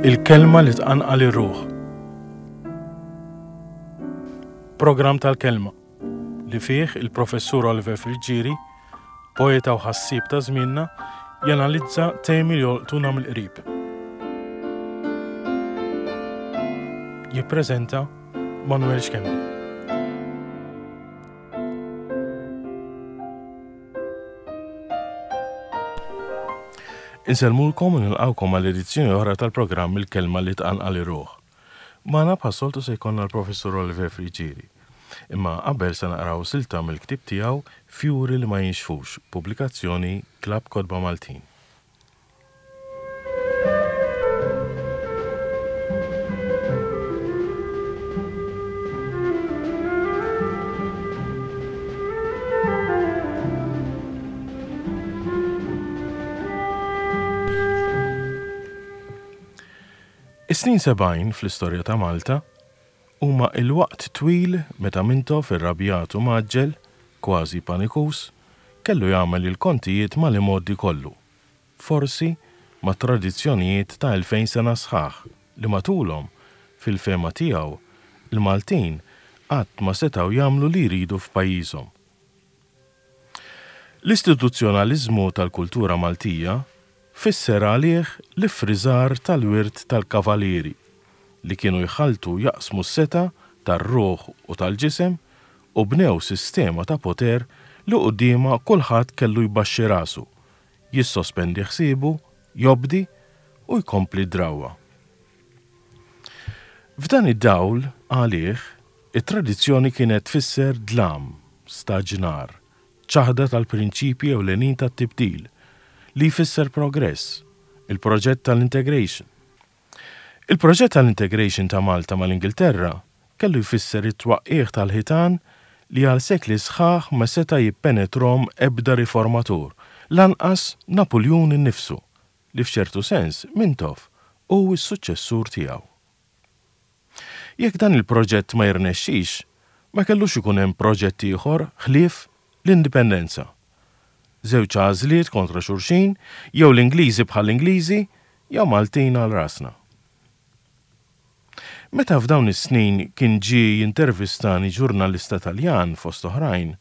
Il-kelma li tqanqal ir-ruħ. Programm tal-kelma li fih il-Professur Oliver Friggieri, poeta u ħassieb ta' żmienna, janalizza temi li jolqtuna mill-qrib. Jippreżenta Manuel Schembri. Insellmulkom u nilqgħukom għal edizzjoni oħra tal-programm Il-Kelma li Tqanqal ir-Ruħ. Magħna bħas-soltu se jkollna l-Professur Oliver Friggieri. Imma qabel se naqraw silta mill-ktieb tiegħu Fjuri li ma Jinxfux, pubblikazzjoni Klabb Kotba Maltin. Is-snin 70 fl-istorja ta' Malta huma il-waqt twil meta Mintoff irrabjat u mgħaġġel, kważi panikuż, kellu jagħmel il-kontijiet mal-imgħoddi kollu, forsi ma' tradizzjonijiet ta' 2000 sena sħaħ li matulhom, fil-fehma tiegħu, il-Maltin qatt ma setgħu jagħmlu li jridu f'pajjiżhom. L-istituzzjonaliżmu tal-kultura Maltija fisser għalih l-iffriżar tal-wirt tal-kavalieri li kienu jħalltu u jaqsmu s-setgħa tar-ruħ u tal-ġisem u bnew sistema ta' poter li quddiemha kulħadd kellu jbaxxi rasu, jissospendi ħsiebu, jobdi u jkompli d-drawwa. F'dan id-dawl, għalih, it-tradizzjoni kienet tfisser dlam, staġnar, ċaħda tal-prinċipji ewlenin tat-tibdil, li jfisser progress, il-proġett tal-integration. Il-proġett tal-integration ta' Malta mal-Ingilterra kellu jfisser it-twaqqigħ tal-ħitan li għal sekli sħaħ ma seta' jippenetrhom ebda riformatur, lanqas Napuljun innifsu, li f'ċertu sens Mintoff hu s-suċċessur tiegħu. Jekk dan il-proġett ma jirnexxix, ma kellux ikun hemm proġett ieħor ħlief l-Indipendenza. Żewġ għażliet kontra xulxin, jew l-Ingliżi bħall-Ingliżi, jew Maltin għal rasna. Meta f'dawn is-snin kien ġie jintervistani ġurnalista Taljan fost oħrajn,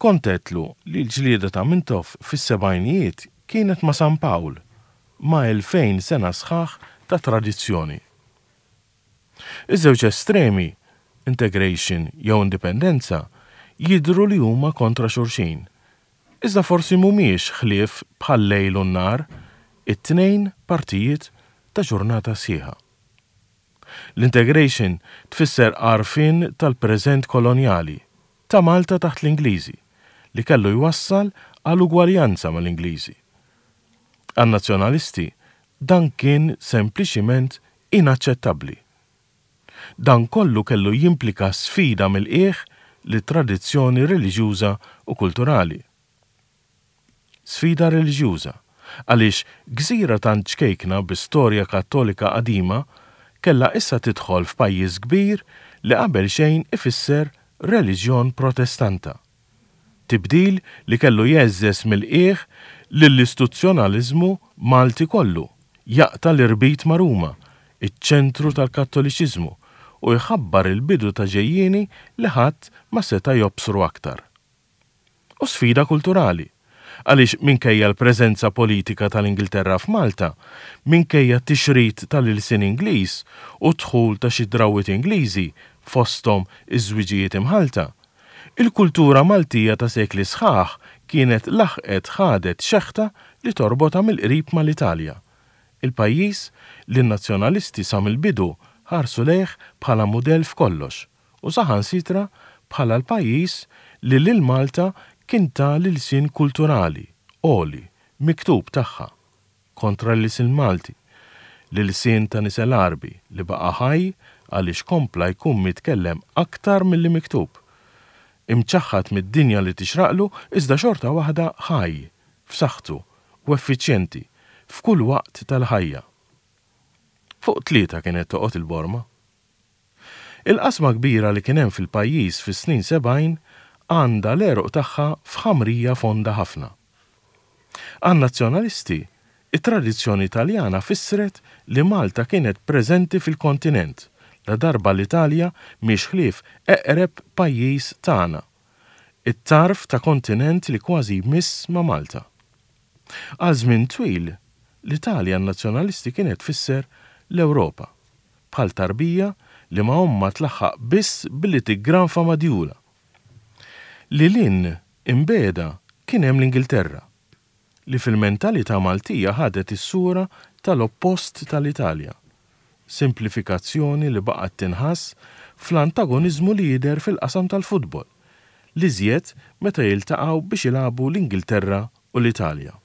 kont għedtlu li l-ġlieda ta' Mintoff fis-sebgħinijiet kienet ma' San Pawl, ma' 2000 sena sħaħ ta' tradizzjoni. Iż-żewġ estremi, integration jew indipendenza, jidhru li huma kontra xulxin. Iżda forsi mhumiex ħlief bħal-lejl u n-nhar, it-tnejn partijiet ta' ġurnata sħiħa. L-integration tfisser għarfien tal-preżent kolonjali, ta' Malta taħt l-Ingliżi, li kellu jwassal għal ugwaljanza mal-Ingliżi. Għan-Nazzjonalisti dan kien sempliċiment inaċċettabbli. Dan kollu kellu jimplika sfida mill-qiegħ lit-tradizzjoni reliġjuża u kulturali. Sfida reliġjuża, għaliex gżira tant ċkejkna bi storja Kattolika qadima kellha issa tidħol f'pajjiż kbir li qabel xejn ifisser reliġjon Protestanta. Tibdil li kellu jgħeżżeż mill-qiegħ lill-istuzzjonaliżmu Malti kollu, jaqta' l-irbit ma' Ruma, iċ-ċentru tal-Kattoliċiżmu, u jħabbar il-bidu ta' ġejjieni li ħadd ma seta' jobsru aktar. U sfida kulturali, għaliex minkejja l-preżenza politika tal-Ingilterra f'Malta, minkejja t-tixrid tal-ilsien Ingliż u d-dħul ta' xi drawwiet Ingliżi, fosthom iż-żwiġijiet imħallta, Il-kultura Maltija ta' sekli sħaħ kienet laħqet ħadet xeħta li torbotha mill-qrib mal-Italja, il-pajjiż li n-Nazzjonalisti sa mill-bidu ħarsu lejh bħala mudell f'kollox u saħansitra bħala l-pajjiż li lil Malta kien ta l-ilsien kulturali, għoli, miktub tagħha. kontra l-ilsien Malti, l-ilsien ta' nisel Għarbi li baqa' ħaj għaliex kompla jkun mitkellem aktar milli miktub. Imċaħħad mid-dinja li tixraqlu iżda xorta waħda ħaj, f'saħħtu u effiċjenti f'kull waqt tal-ħajja. Fuq tlieta kienet toqgħod il-borma. Il-qasma kbira li kien hemm fil-pajjiż fis-snin 70 għandha l-għeruq tagħha f'ħamrija fonda ħafna. Għan-Nazzjonalisti, It-tradizzjoni Taljana fissret li Malta kienet preżenti fil-kontinent, ladarba l-Italja mhix ħlief eqreb pajjiż tagħna, it-tarf ta' kontinent li kważi jmiss ma' Malta. Għal żmien twil, l-Italja għan-Nazzjonalisti kienet tfisser l-Ewropa, bħal tarbija li ma' ommha tlaħħaq biss billi tiggranfa ma' djulha. Lil hinn imbiegħda kien hemm l-Ingilterra, li fil-mentalità Maltija ħadet is-sura tal-oppost tal-Italja, simplifikazzjoni li baqgħet tinħass fl-antagoniżmu li jidher fil-qasam tal-futbol, l-iżjed meta jiltaqgħu biex jilagħbu l-Ingilterra u l-Italja.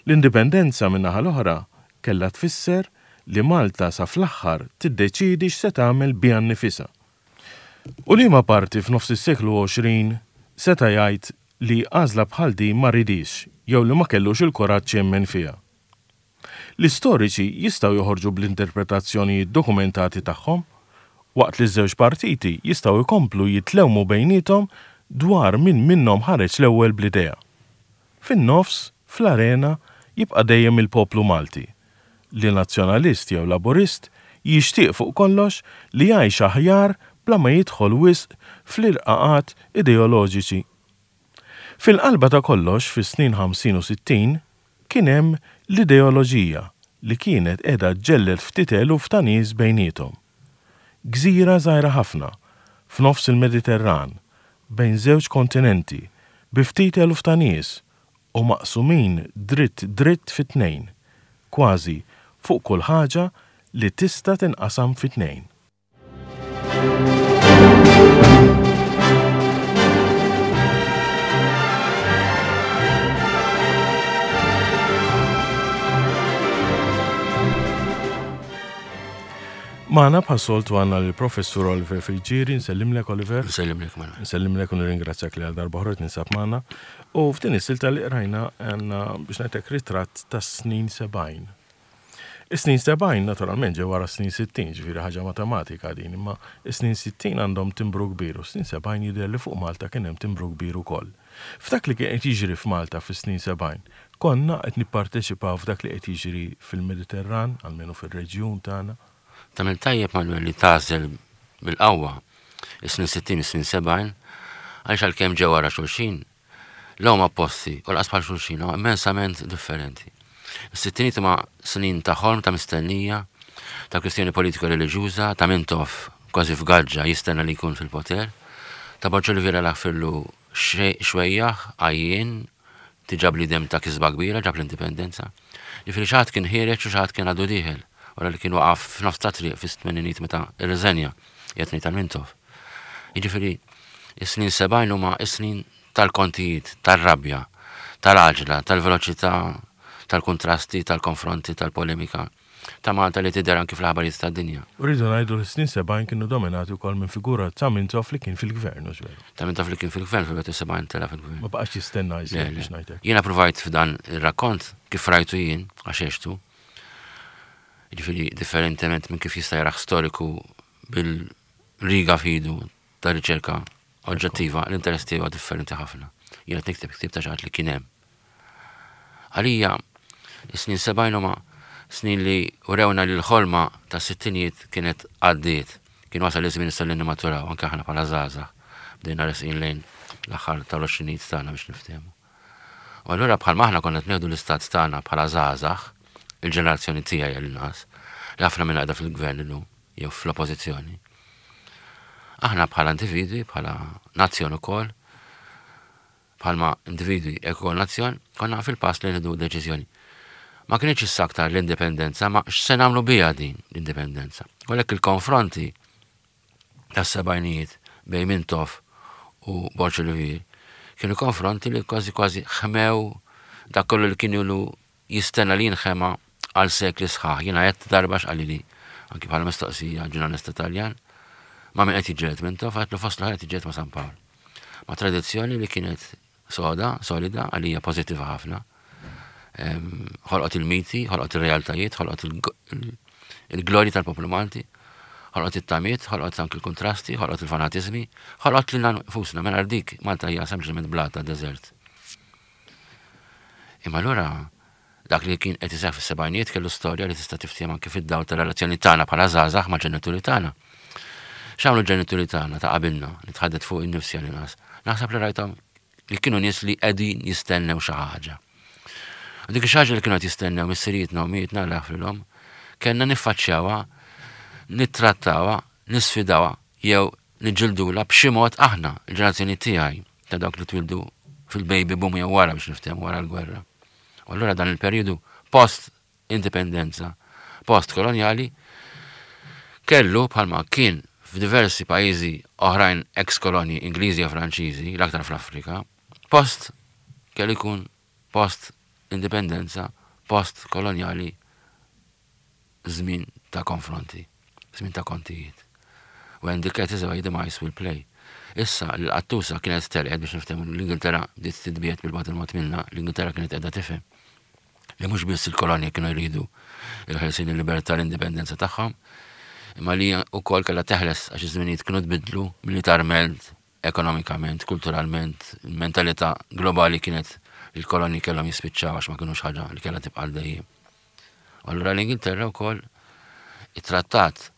L-Indipendenza min-naħa l-oħra kellha tfisser li Malta sa fl-aħħar tiddeċiedi x'se tagħmel biha nnifisha. U liema parti f'nofs is-seklu 20 seta' jgħid li għażla bħal din ma ridhiex jew li ma kellux il-kuraġġ jemmen fiha? L-istoriċi jistgħu joħorġu bl-interpretazzjonijiet dokumentati tagħhom, waqt li ż-żewġ partiti jistgħu jkomplu jitlewmu bejniethom dwar min minnhom ħareġ l-ewwel bl-idea. Fin-nofs, fl-arena, jibqa' dejjem il-poplu Malti, li Nazzjonalist jew Laburist jixtieq fuq kollox li jgħix aħjar bla ma jidħol wisq fl-irqaqat ideoloġiċi. Fil-qalba ta' kollox fis-snin 50 u 60 kien hemm l-ideoloġija li kienet qiegħda ġġelled ftit eluf ta' nies bejniethom. Gżira żgħira ħafna, f'nofs il-Mediterran, bejn żewġ kontinenti, bi ftit eluf ta' nies u maqsumin dritt dritt fi tnejn, kważi fuq kull ħaġa li tista' tinqasam fi tnejn. Magħna bħas-soltu għandna lill-Professur Oliver Friggieri, nsellimlek Oliver. Nsellimlek Manuel. Nsellimlek u nirringrazzjak li għal darba oħra tinsab magħna. U f'din is-silta li qrajna għandna biex ngħidlek ritratt tas-snin 70. Is-snin 70 naturalment ġew wara s-snin 60, ġifieri ħaġa matematika din, imma is-snin 60 għandhom timbru kbir u s-snin 70 jidher li fuq Malta kien hemm timbru kbir ukoll. F'dak li kien qed jiġri f'Malta fis-snin 70, konna qed nipparteċipaw f'dak li qed jiġri fil-Mediterran, almenu fir-reġjun tagħna? Tagħmel tajjeb Manuel li tagħżel bil-qawwa is-snin 60 u s-snin 70 għaliex għalkemm ġew wara xulxin, la huma opposti u lanqas bħal xulxin, huma immensament differenti. Is-sittinijiet huma snin ta' ħolm, ta' mistennija, ta' kwistjoni politika reliġjuża, ta' Mintoff kważi f'gaġġa jistenna li jkun fil-poter, ta' Borg Olivier Laħfirlu xwejjaħ, għajjien, diġà bniedem ta' kisba kbira, ġab l-indipendenza. Ġifieri xi ħadd kien ħiereġ u xi ħadd kien għadu dieħel, wara li kien waqaf f'nofs ta' triq fis-tmeninijiet meta rriżenja, qiegħed ngħid għal Mintoff. Jiġifieri is-snin 70 huma s-snin tal-kontijiet, tar-rabja, tal-għaġla, tal-veloċità, tal-kuntrasti, tal-konfronti, tal-polemika ta' Malta li tidher anki fl-aħbarijiet tad-dinja. U rridu ngħidu li s-snin 70 kienu dominati wkoll minn figura ta' Mintoff li kien fil-gvern, hux veru? Ta' Mintoff li kien fil-gvern fil-71 tela' fil-gvern. Ma baqax jistenna iżjed biex ngħid hekk. Jiena ppruvajt f'dan ir-rakkont kif rajtu jien, għax għextu, jiġifieri differentement minn kif jista' jarah storiku bil-riga f'idu ta' riċerka oġġettiva, l-interess tiegħi huwa differenti ħafna. Jien qed nikteb ktieb ta' xi ħadd li kien hemm. Għalija, is-snin 70 huma snin li urewna li l-ħolma tas-sittinijiet kienet għaddiet. Kien wasal iż-żmien issa li nimmaturaw, anke aħna bħala żgħażagħ. Bdejna resqin lejn l-aħħar tal-għoxrinijiet tagħna biex niftehmu. U allura bħalma aħna konna qed nieħdu l-istat tagħna bħala żgħażagħ, il-ġenerazzjoni tiegħi għall-inqas, li ħafna minnha qiegħda fil-gvern illum jew fl-oppożizzjoni. Aħna bħala individwi, bħala nazzjon ukoll, bħalma individwi hekk ukoll nazzjon, konna fil-pass li nieħdu deċiżjoni. Ma kienx issa aktar l-indipendenza, ma x'se nagħmlu biha din l-indipendenza. U għalhekk il-konfronti tas-sebgħinijiet bejn Mintoff u Borg Olivier kienu konfronti li kważi kważi ħmew dak kollu li kien ilu jistenna li jinħema għal sekli sħaħ. Jiena għedt darba x'qalili anki bħala mistoqsija ġurnalista Taljan, ma' min qed jiġġieled Mintoff, għedtlu fost l-oħrajn qed jiġġieled ma' San Pawl. Ma' tradizzjoni li kienet soda, solida, għalija pożittiva ħafna. Ħolqot il-miti, ħolqot ir-realtajiet, ħolqot il-glorji tal-poplu Malti, ħolqot it-tamiet, ħolqot anki l-kuntrasti, ħolqot il-fanatiżmi, ħolqot lilna nfusna, mingħajr dik Malta hija sempliċement blata deżert. Imma allura. Dak li kien qed iseħħ fis-sebgħinijiet kellu storja li tista' tiftiehem anki fid-dawl tar-relazzjoni tagħna bħala żgħażagħ mal-ġenituri tagħna. X'għamlu l-ġenituri tagħna ta' qabilna, nitħaddet fuq innifsi għal-inqas. Naħseb li rajthom li kienu nies li qegħdin jistennew xi ħaġa. U dik xi ħaġa li kienu qed jistennew missirijietna u mietna Alla jaħfrilhom, kellna niffaċċjawha, nittrattawha, nisfidawha jew niġġildulha b'xi mod aħna, il-ġenerazzjoni tiegħi ta' dawk li twildu fil-baby boom jew wara biex niftehmu wara l-gwerra. U allura dan il-perjodu post indipendenza post kolonjali kellu bħalma kien f'diversi pajjiżi oħrajn ex kolonji Ingliżi u Franċiżi, l-aktar fl-Afrika, post kellu jkun post indipendenza, post kolonjali żmien ta' konfronti, żmien ta' kontijiet. When the cat is away, the mice will play. Issa li l-qattusa kienet telqet biex niftehmu l-Ingilterra bdiet titbiegħed bil-bogħod il-mod minna, l-Ingilterra kienet qiegħda tifhem li mhux biss il-kolonji kienu jridu il-ħelsien, il-libertà, l-indipendenza tagħhom, imma li wkoll kellha teħles għax iż-żminijiet kienu tbiddlu militarment, ekonomikament, kulturalment, il-mentalità globali kienet li l-kolonji kellhom jispiċċaw għax ma kinux ħaġa li kellha tibqa' dejjem. U allura l-Ingilterra wkoll ittrattat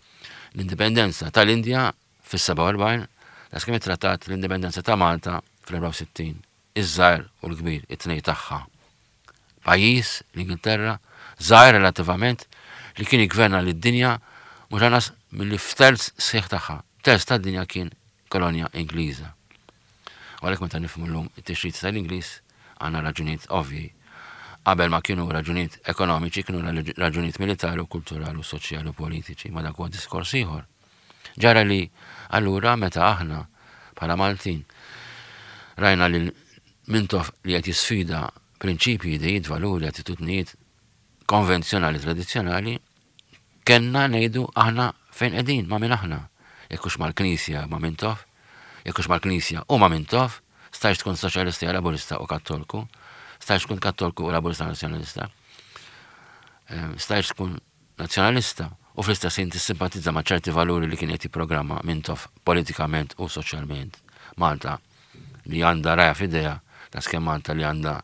l-indipendenza tal-Indja fis-47, daqskemm ittrattat l-indipendenza ta' Malta fl-64, iż-żgħir u l-kbir, it-tnej tagħha. Pajjiż, l-Ingilterra, żgħir relattivament, li kien jiggverna lid-dinja mhux anqas milli f'terz sħiħ tagħha. Terz tad-dinja kien kolonja Ingliża. U għalhekk meta nifhmu llum it-tixrid tal-Ingliż għandna raġunijiet ovvji. Qabel ma kienu raġunijiet ekonomiċi, kienu raġunijiet militari u kulturali u soċjali u politiċi, ma dak huwa diskors ieħor. Ġara li allura meta aħna bħala Maltin rajna lil Mintoff li qed jisfida prinċipji, idejiet, valuri, attitudnijiet konvenzjonali, tradizzjonali, kellna ngħidu aħna fejn qegħdin, ma' min aħna. Jekk hux mal-Knisja ma' Mintoff, jekk hux mal-Knisja u ma' Mintoff, stajx tkun soċjalista jew laburista u kattolku, stajx tkun kattolku u laburista nazzjonalista, stajx tkun nazzjonalista u fl-istess ħin tissimpatizza ma' ċerti valuri li kien qed jipprogramma Mintoff politikament u soċjalment. Malta li għandha raja f'idejha daqskemm Malta li għandha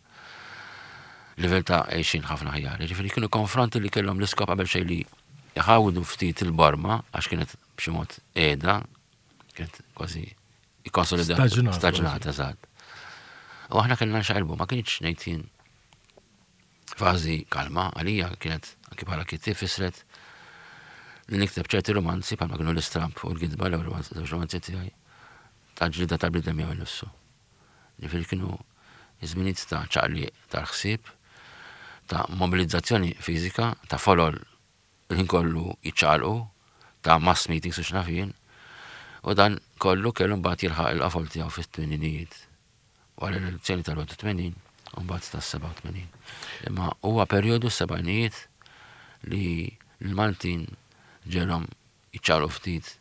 livell ta' għejxin ħafna aħjar. Jiġifieri kienu konfronti li kellhom l-iskop qabel xejn li jħawdu ftit il-borma għax kienet b'xi mod qiegħda, kienet kważi ikkonsolidata. Staġnata, eżatt. U aħna kellna nxaqilbu, ma kienx ngħid jien fażi kalma għalija kienet anki bħala kittieb fissret li nikteb ċerti romanzi bħalma kienu l-istramp u l-gidba l-ewwel żewġ romanzi tiegħi ta' ġlieda tal-bniedem miegħu nnifsu. Ġifieri kienu żminijiet ta' ċaqliq tal-ħsieb, ta' mobilizzazzjoni fiżika, ta' folol il-ħin kollu jiċċaqalqu, ta' mass meetings u x'naf jien. U dan kollu kellu mbagħad jilħaq il-qofol tiegħu fit-tmeninijiet. Wara l-elezzjoni tal-81 u mbagħad tas-87. Imma huwa perjodu s-sebgħinijiet li l-Maltin ġelhom jiċċaqalqu ftit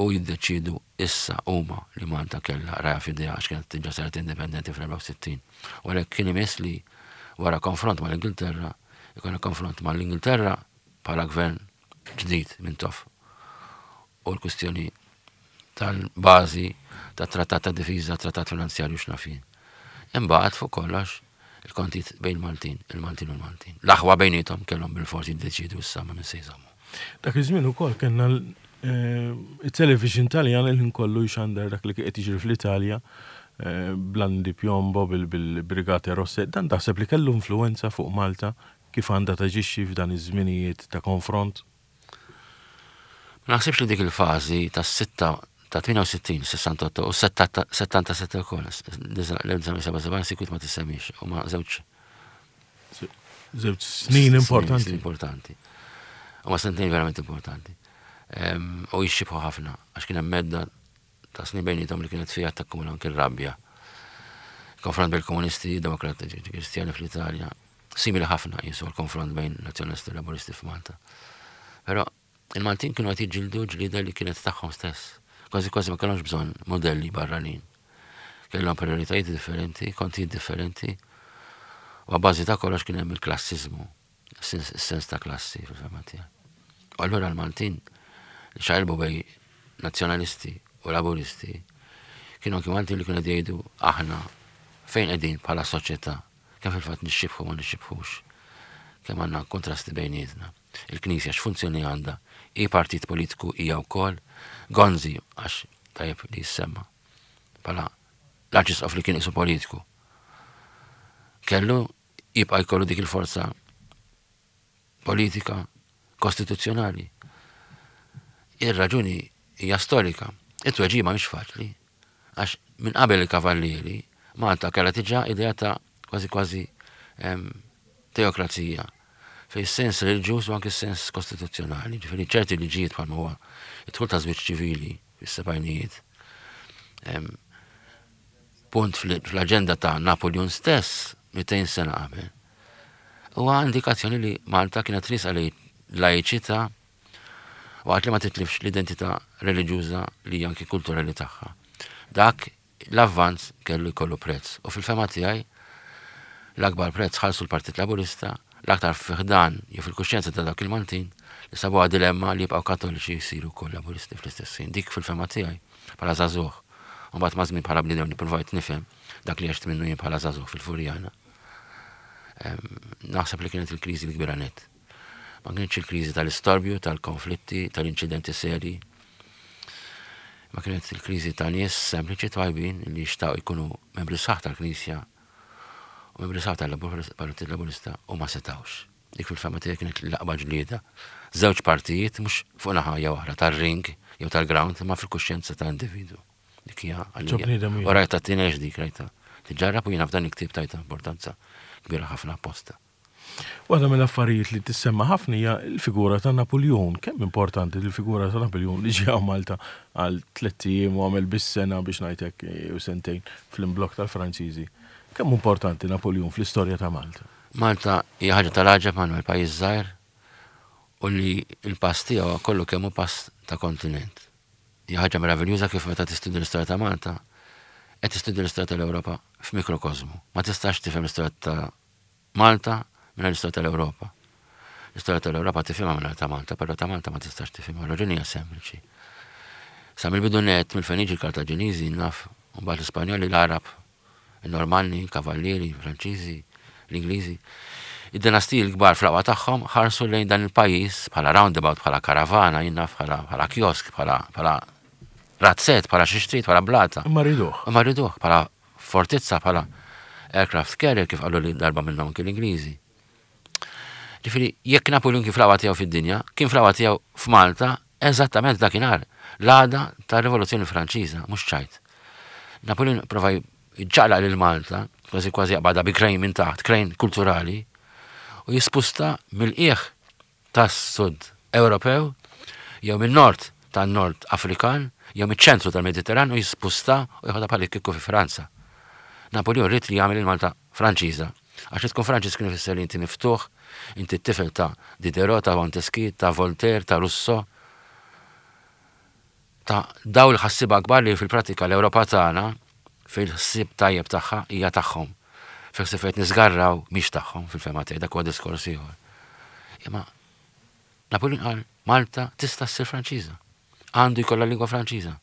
u jiddeċiedu issa huma li Malta kellha raja f'idejha għax kienet diġà saret indipendenti fl-64. U għalhekk kien imiss li wara konfront mal-Ingilterra, ikollna konfront mal-Ingilterra bħala gvern ġdid Mintoff u l-kwistjoni tal-bażi tat-trattat ta' difiża, trattat finanzjarju x'naf jien. Imbagħad fuq kollox il-kontijiet bejn Maltin, il-Maltin u l-Maltin. L-aħwa bejniethom kellhom bilfors jiddeċiedu issa ma' min se jżommu. Dak iż-żmien ukoll kellna it-television Taljan il-ħin kollu jxandar dak li qed jiġri fl-Italja eh, bl-Andi Piombo bil-Brigate Rosse. Dan taħseb li kellu influenza fuq Malta kif għandha taġixxi f'dan iż-żminijiet ta' konfront? Ma naħsibx li dik il-fażi tas-sitta ta' 68, 68 u 77 ukoll, l-1977 sikwit ma tissemmix, huma żewġ Żewġ snin importanti. Importanti. Huma sentejn verament importanti. U jixxibħu ħafna, għax kien hemm medda ta' snin bejnietom li kienet fiha takkumula anki r-rabja. Konfront bil-komunisti, demokratiċi, kristjani fl-Italja, simili ħafna jisu l-konfront bejn nazzjonalisti u laburisti f'Malta. Però il-Maltin kienu qed jiġġieldu ġlieda li kienet tagħhom stess. Kważi kważi ma kellhomx bżonn modelli barranin. Kellhom prioritajiet differenti, kontijiet differenti, u għabbażi ta' kollox kien hemm il-klassiżmu, is-sens ta' klassi fil-fehma tiegħi. U allura l-Maltin li xaqilbu bej nazzjonalisti u laburisti kienu anki Maltin li kienu jgħidu aħna fejn qegħdin bħala soċjetà. Kemm fil-fatt nixxibħu ma nixxibħux. Kemm għandna kontrasti bejnietna. Il-Knisja x'funzjoni għandha? Hi partit politiku hija wkoll? Gonzi, għax tajjeb li jissemma, bħala l-Arċisqof li kien isu politiku. Kellu jibqa' jkollu dik il-forza politika kostituzzjonali. Ir-raġuni hija storika. It-tweġiba mhix faċli, għax minn qabel il-Kavallieri, Malta kellha diġà idea ta' kważi kważi teokrazija fejn sens reliġjuż u anke sens kostituzzjonali, ġifieri ċerti liġijiet bħalma huwa id-dħul ta' żwieġ ċivili fis-sebgħinijiet. Punt fl-aġenda ta' Napoleon stess 200 sena qabel. Huwa indikazzjoni li Malta kienet riesqa lejn laiċità waqt li ma titlifx l-identità reliġjuża li hija anki kulturali tagħha. Dak l-avvanz kellu jkollu prezz u fil-fehma tiegħi l-akbar prezz ħallsu l-Partit Laburista l-aktar fi ħdan jew fil-kuxjenza ta' dawk il-Maltin li sabuha dilemma li jibqgħu Kattoliċi jsiru wkoll Laburisti fl-istess ħin. Dik fil-fehma tiegħi bħala żagħżugħ u mbagħad maż-żmien bħala bniedem li ppruvajt nifhem dak li għext minnu jien bħala żagħżugħ fil-Furjana. Naħseb li kienet il-kriżi l-kbira nett. Ma kienx il-kriżi tal-istorbju, tal-konflitti, tal-inċidenti serji. Ma kienet il-kriżi ta' nies sempliċi twajbin li xtaqu jkunu membri sħaħ tal-Knisja u membri sħaħ tal-Partit Laburista u ma setawx. Dik fil-fehma tiegħi kienet l-aqwa ġlieda. Żewġ partijiet mhux fuq naħa jew oħra tar-ring jew tal-ground imma fil-kuxjenza ta' individwu. Dik hija għalija. U rajta tinex dik rajta. Tiġġarrab u jiena f'dan il-ktieb tajta importanza kbira ħafna apposta. Waħda mill-affarijiet li tissemma ħafna hija l-figura ta' Napuljun. Kemm importanti l-figura ta' Napuljun li ġie Malta għal tlett ijiem u għamel biss sena biex ngħid hekk jew sentejn fl-imblokk tal-Franċiżi. Kemm importanti Napuljun fl-istorja ta' Malta? Malta hija ħaġa tal-għaġeb Manuel, pajjiż żgħir u li l-pass tiegħu kollu kemm hu pass ta' kontinent. Hija ħaġa meraviljuża kif meta tistudja l-istorja ta' Malta, qed tistudja l-istorja tal-Ewropa f'mikrokożmu. Ma tistax tifhem l-istorja ta' Malta mingħajr l-istorja tal-Ewropa. L-istorja tal-Ewropa tifhimha mingħajr ta' Malta, però ta' Malta ma tistax tifhimha. Raġuni hija sempliċi. Sa mill-bidu nett mill-Feniċi l-Kartaġiniżi naf, u mbagħad l-Ispanjoli, l-Għarab, il-Normanni, il-Kavallieri, il-Franċiżi, l-Ingliżi. Id-dinastiji l-kbar fl-aqwa tagħhom ħarsu lejn dan il-pajjiż bħala roundabout, bħala karavana, jien naf bħala bħala kiosk, bħala bħala razzett, bħala xi xtrid, bħala blata. Imma riduh. Imma riduh bħala fortizza, bħala aircraft carrier kif qalu li darba minnhom anki l-Ingliżi. Ġifieri, jekk Napoleon kien fl-aqwa tiegħu fid-dinja, kien fl-aqwa tiegħu f'Malta eżattament dakinhar, l-għada tar-Rivoluzzjoni Franċiża, mhux ċajt. Napoleon prova jċaqlaq lil Malta, kważi kważi jaqbadha bi krejn minn taħt, krejn kulturali, u jispusta mill-qiegħ tas-Sud Ewropew jew min-Nord tan-Nord Afrikan jew miċ-ċentru tal-Mediterran u jispusta u jħodha bħal kieku fi Franza. Napoleon ried li jagħmel il-Malta Franċiża. Għax li tkun Franċiż kien ifisser li inti miftuħ, inti t-tifel ta' Diderot, ta' Montesquieu, ta' Voltaire, ta' Rousseau, ta' dawn il-ħassieba kbar li fil-prattika l-Ewropa tagħna fil-ħsieb tajjeb tagħha hija tagħhom. Fil-ħsieb fejn niżgarraw mhix tagħhom fil-fehma tiegħi dak huwa diskors ieħor. Imma Napoleon qal Malta tista' ssir Franċiża. Għandu jkollha lingwa Franċiża.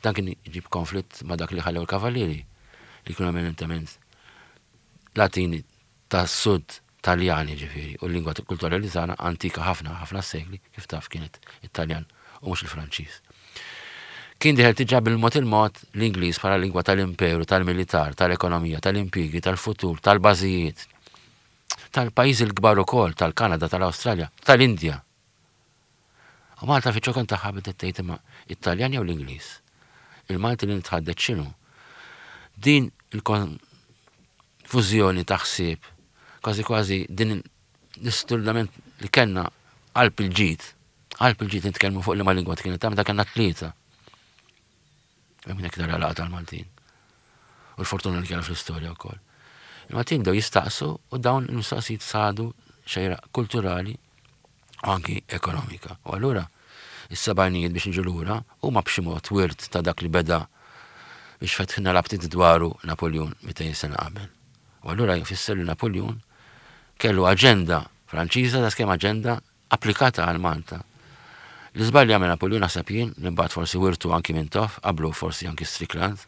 Dan kien iġib konflitt ma' dak li ħallew il-Kavallieri li kienu eminentement Latini tas-Sud Taljan jiġifieri, u l-lingwa kulturali tagħna antika ħafna, ħafna sekli, kif taf kienet it-Taljan u mhux il-Franċiż. Kien dieħel diġà bil-mod il-mod l-Ingliż bħala lingwa tal-imperu, tal-militar, tal-ekonomija, tal-impjiegi, tal-futur, tal-bażijiet, tal-pajjiżi l-kbar ukoll, tal-Kanada, tal-Awstralja, tal-Indja. U Malta fiċ-ċokon tagħha bdiet tgħid imma it-Taljan jew l-Ingliż? Il-Malti li nitħaddet x'inhu? Din il-konfużjoni ta' ħsieb, kważi kważi din l-isturdament li kellna qalb il-ġid, qalb il-ġid nitkellmu fuq liema lingwa kienet ta' meta kellna tlieta. Hemm hekk tara l-għaqda tal-Maltin. U l-fortuna li kellha fl-istorja wkoll. Il-Maltin bdew jistaqsu u dawn il-mistoqsijiet sadu xejra kulturali u anki ekonomika. U allura is-sebgħinijiet biex niġu lura huma b'xi mod wirt ta' dak li beda biex fetħilna l-aptit dwaru Napoljun 200 sena qabel. U allura jfisser li Napoljun kellu aġenda Franċiża da skemm aġenda applikata għal Malta. L-iżball li għamel Napoljun naħseb jien, li mbagħad forsi wirtu anki Mintoff, qablu forsi anki Strickland,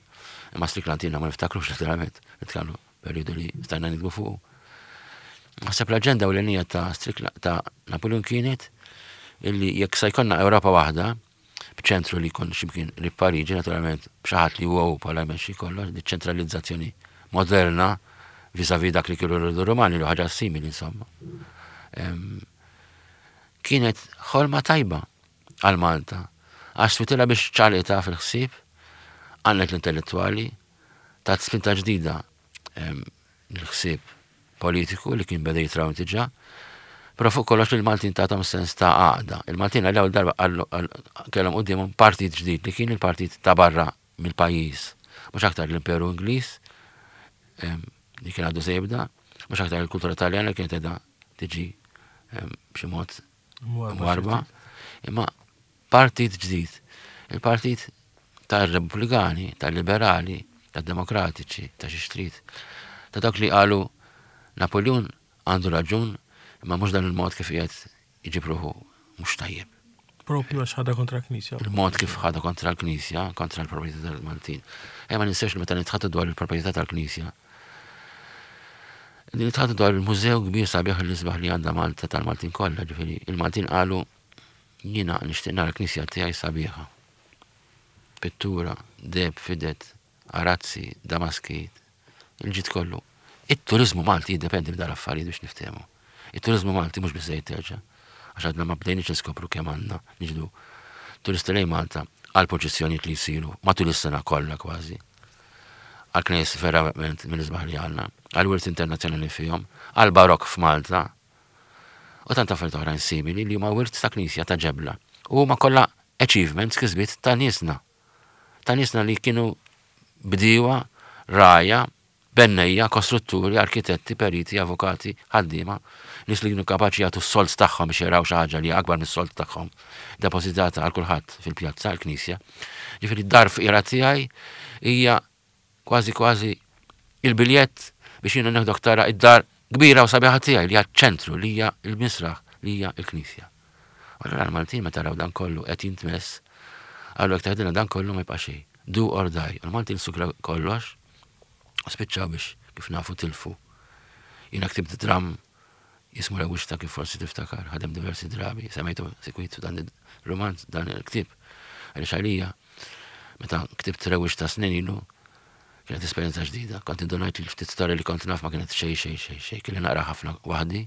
imma Strickland jiena ma niftakrux letteralment, nitkellmu. perjodu li stajna nikbu fuqu. Naħseb l-aġenda ewlenija ta' ta' Napoleon kienet illi jekk sa jkollna Ewropa waħda, b'ċentru li jkun x'imkien qrib Pariġi, naturalment b'xi ħadd li huwa hu bħala jmexxi kollox, di ċentralizzazzjoni moderna vis-à-vis dak li kienu rridu Rumani li ħaġa simili insomma. Kienet ħolma tajba għal Malta, għax switilha biex ċalita fil-ħsieb, għannet l-intellettwali, tat spinta ġdida l-ħsieb politiku li kien beda jitrawm diġà, però fuq kollox il-Maltin tagħhom sens ta' għaqda. Il-Maltin għal darba kellhom quddiemhom partit ġdid li kien il-partit ta' barra mill-pajjiż. Mhux aktar l-Imperu Ingliż li kien għadu se jibda, mhux aktar il-kultura Taljana li kienet qiegħda tiġi b'xi mod mwarba, imma partit ġdid. Il-partit tar-Repubblikani, tal-Liberali, tad-Demokratiċi, ta' xi trid. Ta' dawk li qalu Napoleon għandu raġun, imma mhux dan il-mod kif qiegħed iġib ruħu mhux tajjeb. Propju għax ħadha kontra l-Knisja. Il-mod kif ħadha kontra l-Knisja, kontra l-proprjetà tal-Maltin. Ejja ma ninsewx li meta nitħattu dwar il-proprjetà tal-Knisja, nitħattu dwar il-mużew kbir sabiħ l-isbaħ li għandha Malta tal-Maltin kollha, ġifieri il-Maltin qalu jiena nixtieq nara l-Knisja tiegħi sabiħa. Pittura, deheb, fidet, arazzi, damaski, il-ġid kollu. It-turizmu Malti jiddependi minn dal-affarijiet biex niftehmu. It-turizmu Malti mhux biżejjed terġa' għax għadna ma bdejniex niskopru kemm għandna niġdu turisti lejn Malta għal proċessjonijiet li jsiru matul is-sena kollha kważi. Għal knejjes verament mill-isbaħ li għandna, għal wirt internazzjonali fihom, għal barokk f'Malta, u tant affarijiet oħrajn simili li huma wirt ta' knisja ta' ġebla. U huma kollha achievements kisbiet ta' niesna. Ta' niesna li kienu bdiewa, rgħajja, bennejja, kostrutturi, arkitetti, periti, avukati, ħaddiema, nies li kienu kapaċi jagħtu s-sold tagħhom biex jaraw xi ħaġa li hija akbar mis-sold tagħhom depożitata għal kulħadd fil-pjazza, il-knisja. Ġifieri d-dar fqira tiegħi hija Kważi kważi il-biljett biex jiena neħdok tara id-dar kbira u sabiħa tiegħi li hija ċ-ċentru, li hija l-misraħ, li hija l-knisja. U allura l-Maltin meta raw dan kollu qed jintmess, qalu jekk teħdilna dan kollu ma jibqa' xejn. Do or die. U l-Maltin sukraw kollox u spiċċaw biex kif nafu tilfu. Jiena ktibt dramm jismu Rewwixta kif forsi tiftakar, ħadem diversi drabi, semmejtu sikwit dan ir-rumanz, dan il-ktieb. Għaliex għalija Meta ktibt Rewwixta snin ilu, kienet esperjenza ġdida. Kont indunajt li l-ftit storja li kont naf ma kienet xejn xejn xejn xejn. Kelli naqra ħafna waħdi,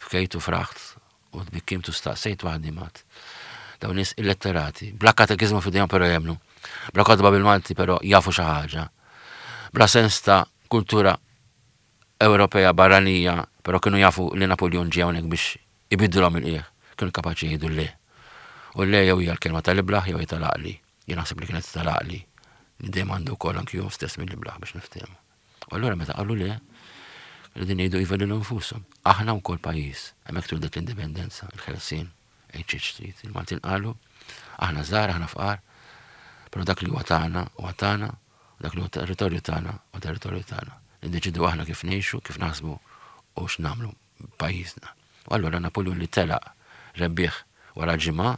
bkejt u fraħt u tbikkimt u staqsejt waħdi mat. Dawn nies illetterati, bla katekiżmu f'idejhom però jemmnu, bla kotba bil-Malti però jafu xi ħaġa, bla sens ta' kultura Ewropea barranija, però kienu jafu li Napuljun ġie hawnhekk biex ibiddilhom il-qiegħ, kienu kapaċi jgħidu le. U le jew hija l-kelma tal-iblah jew hija tal-għaqli. Jien naħseb li kienet tal-għaqli, li dejjem għandu wkoll anki hu stess mill-iblah biex niftehmu. U allura meta qalu le, qegħdin jgħidu iva lilhom infushom. Aħna wkoll pajjiż, hemmhekk twildet l-indipendenza, il-ħelsien, għid xi trid. Il-Maltin qalu, aħna żgħar, aħna fqar, però dak li huwa tagħna huwa tagħna u dak li huwa territorju tagħna huwa territorju tagħna. Niddeċidu aħna kif ngħixu, kif naħsbu u x'nagħmlu b'pajjiżna. U allura Napuljun li telaq rebbieħ wara ġimgħa,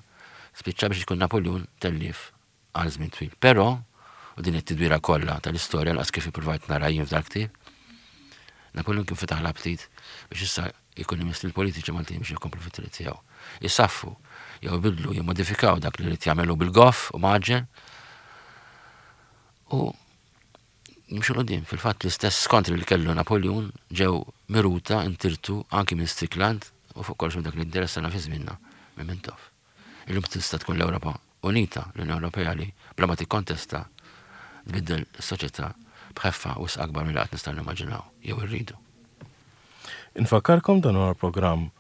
spiċċa biex ikun Napuljun tellief għal żmien twil. Però, u din it-tidwira kollha tal-istorja lanqas kif ippruvajt nara jien f'dal-ktieb, Napuljun kien fetaħ l-aptit biex issa jkun imiss lill-politiċi Maltin biex ikomplu fit-triq tiegħu. Isaffu, jew ibiddlu, jimmodifikaw dak li ried jagħmel hu bil-goff u mgħaġġel. U jimxu 'l quddiem. Fil-fatt l-istess skontri li kellu Napoljun ġew miruta, intirtu anki minn Strickland u fuq kollox minn dak li interessana fi żmienna minn Mintoff. Illum tista' tkun l-Ewropa Unita, l-Unjoni Ewropea li bla ma tikkontesta tbiddel is-soċjetà b'ħeffa wisq akbar milli qatt nistgħu nimmaġinaw jew irridu. Infakkarkom dan huwa l-programm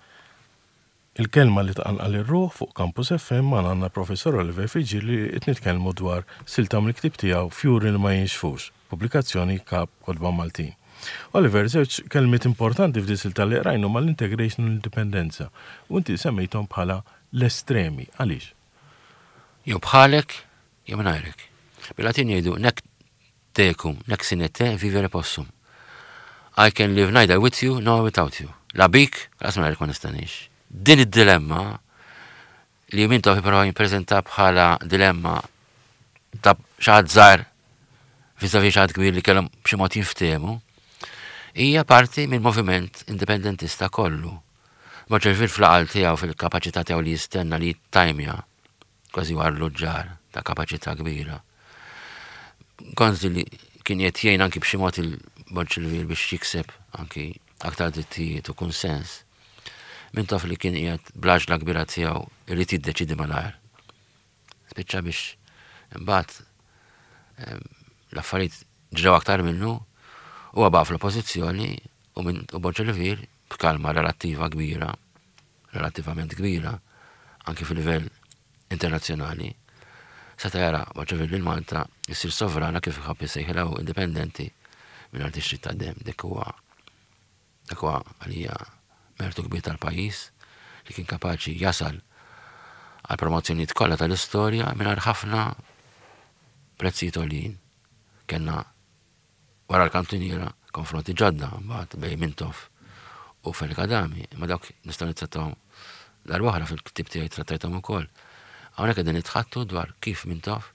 Il-Kelma li Tqanqal ir-Ruħ fuq Campus FM magħna għandna Professor Oliver Friggieri li qed nitkellmu dwar silta mill-ktieb tiegħu Fjuri li ma Jinxfux, pubblikazzjoni Kap Kotba Maltin. Oliver, żewġ kelmiet importanti f'din silta li qrajna huma l-integration u l-indipendenza u inti semmejthom bħala l-estremi. Għaliex? Jew bħalek jew mingħajrek. Bil-Latin jgħidu nec tecum, nec sine te vivere possum. I can live neither with you nor without you. La bik, lanqas mingħajrek ma nista' ngħix. Din id-dilemma li Mintoff jipprova jippreżenta bħala dilemma ta' xi ħadd żgħir vis-à-vis xi ħadd kbir li kellhom b'xi mod jinftehmu. Hija parti mill-moviment indipendentista kollu. Borg Olivier fl-għaqal tiegħu fil-kapaċità tiegħu li jistenna li jittajmja kważi huwa arluġġar ta' kapaċità kbira. Gonzi li kien qed jgħin anki b'xi mod il-Borg Olivier biex jikseb anki aktar drittijiet u kunsens. Mintoff li kien qiegħed bl-għaġla kbira tiegħu irid jiddeċiedi malajr. Spiċċa biex imbagħad l-affarijiet ġraw aktar minnu, huwa baqa' fl-oppożizzjoni u minn u Borg Olivier b'kalma relattiva kbira, relattivament kbira, anki fil-livell internazzjonali, seta' jara Borg Olivier lil Malta issir sovrana kif iħobb isejħilha hu indipendenti mingħajr tixrid ta' demm. Dik huwa Dak huwa għalija mertu kbir tal-pajjiż li kien kapaċi jasal għall-promozzjonijiet kollha tal-istorja mingħajr ħafna prezzijiet għoljin. Kellna wara l-kantuniera konfronti ġodda mbagħad bejn Mintoff u Fenech Adami, imma dawk nistgħu nittrattawhom darba oħra fil-ktieb tiegħi trattajthom ukoll. Hawnhekk qegħdin nitħattu dwar kif Mintoff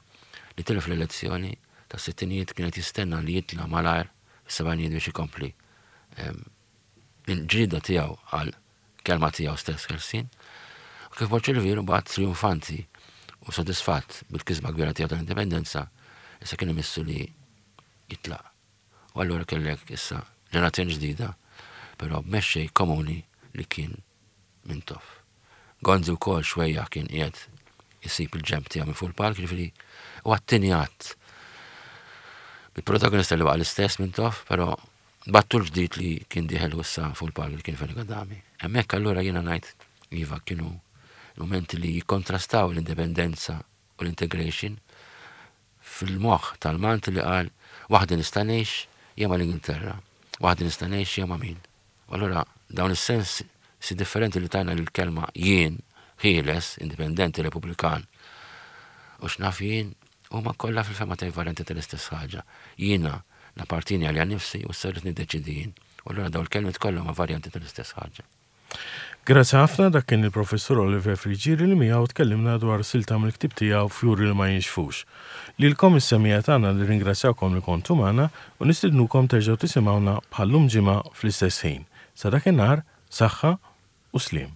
li tilef l-elezzjoni tas-sittinijiet kien qed jistenna li jitla' malajr fis-sebgħinijiet biex ikompli il-ġlieda tiegħu għal kelma tiegħu stess ħelsien, u kif Borg Olivier mbagħad trionfanti u sodisfatt bil-kisba kbira tiegħu tal-indipendenza, issa kien imissu li jitlaq. U allura kellek issa ġenerazzjoni ġdida, però b'mexxej komuni li kien Mintoff. Gonzi wkoll xwejjaħ kien qiegħed isib il-ġenb tiegħu minn fuq il-palk, jiġifieri huwa t-tieni att. Il-protagonista li baqa' l-istess Mintoff, però battu l-ġdid li kien dieħel issa fuq il-palk li kien Fenech Adami. Hemmhekk allura jiena ngħid iva kienu mumenti li jikkontrastaw l-indipendenza u l-integration fil-moħħ tal-Malti li qal waħdi nista' ngħix jew mal-Ingilterra, waħdi nista' ngħix jew ma' min. U allura dawn is-sensi differenti li tajna lill-kelma jien, ħieles, indipendenti, repubblikan, u x'naf jien, huma kollha fil-fehma tiegħi varjanti tal-istess ħaġa. Jiena nappartieni għalija nnifsi u issa rrid niddeċiedi jien. U allura dawn il-kelmiet kollha huma varjanti tal-istess ħaġa. Grazzi ħafna, dak kien il-Professur Oliver Friggieri li miegħu tkellimna dwar silta mill-ktieb tiegħu Fjuri li ma jinxfux. Lilkom is-semmiegħa tagħna nirringrazzjawkom li kontu magħna u nistidnukom terġgħu tisimgħuna bħal-lum ġimgħa fl-istess ħin. Sa dakinhar, saħħa u sliem.